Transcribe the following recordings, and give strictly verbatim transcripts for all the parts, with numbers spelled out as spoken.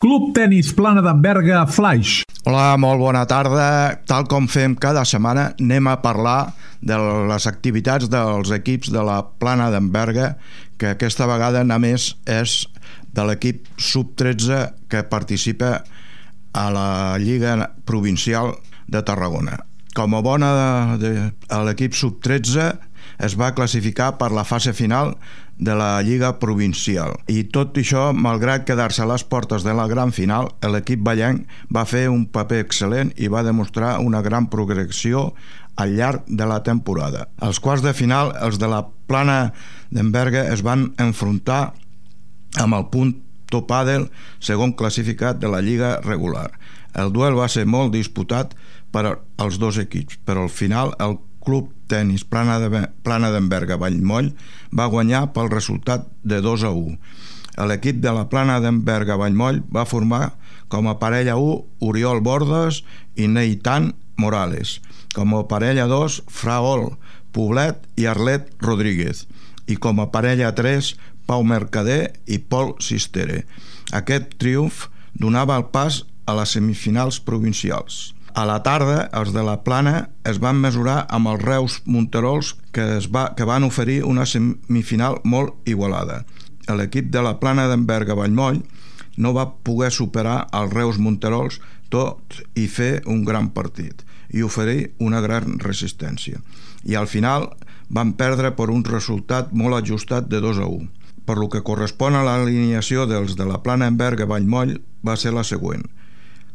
Club Tenis Plana d'en Berga Flaix. Hola, molt bona tarda. Tal com fem cada setmana, anem a parlar de les activitats dels equips de la Plana d'en Berga, que aquesta vegada només és de l'equip sub tretze que participa a la Lliga Provincial de Tarragona. Com a bona de, de l'equip sub tretze es va classificar per la fase final de la Lliga Provincial. I tot això, malgrat quedar-se a les portes de la gran final, l'equip ballenc va fer un paper excel·lent i va demostrar una gran progressió al llarg de la temporada. Als quarts de final, els de la Plana d'en Berga es van enfrontar amb el Punto Padel, segon classificat de la Lliga regular. El duel va ser molt disputat per als dos equips, però al final el Club Tenis Plana d'en Berga Vallmoll va guanyar pel resultat de dos a u. L'equip de la Plana d'en Berga Vallmoll va formar com a parella u Oriol Bordes i Neitan Morales, com a parella dos Fraol Poblet i Arlet Rodríguez, i com a parella tres Pau Mercader i Pol Sistere. Aquest triomf donava el pas a les semifinals provincials. A la tarda, els de la Plana es van mesurar amb els Reus Monterols, que, es va, que van oferir una semifinal molt igualada. L'equip de la Plana d'en Berga Vallmoll no va poder superar els Reus Monterols, tot i fer un gran partit i oferir una gran resistència. I al final van perdre per un resultat molt ajustat de dos a u. Per lo que correspon a l'alineació dels de la Plana d'en Berga Vallmoll va ser la següent.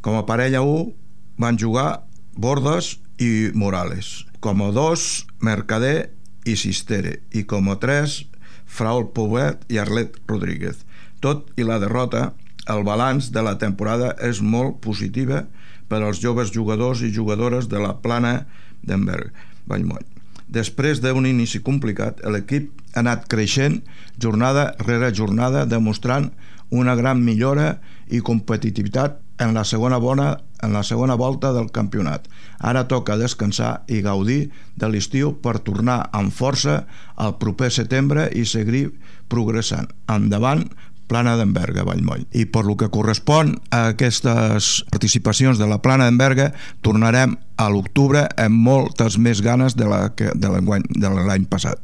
Com a parella u van jugar Bordes i Morales, com a dos Mercader i Sistere, i com a tres Fraol Poblet i Arlet Rodríguez. Tot i la derrota, el balanç de la temporada és molt positiva per als joves jugadors i jugadores de la Plana d'en Berga Vallmoll. Després d'un inici complicat, l'equip ha anat creixent jornada rere jornada, demostrant una gran millora i competitivitat en la segona bona en la segona volta del campionat. Ara toca descansar i gaudir de l'estiu per tornar amb força al proper setembre i seguir progressant. Endavant, Plana d'en Berga Vallmoll. I per lo que correspon a aquestes participacions de la Plana d'en Berga, tornarem a l'octubre amb moltes més ganes de la que de l'any passat.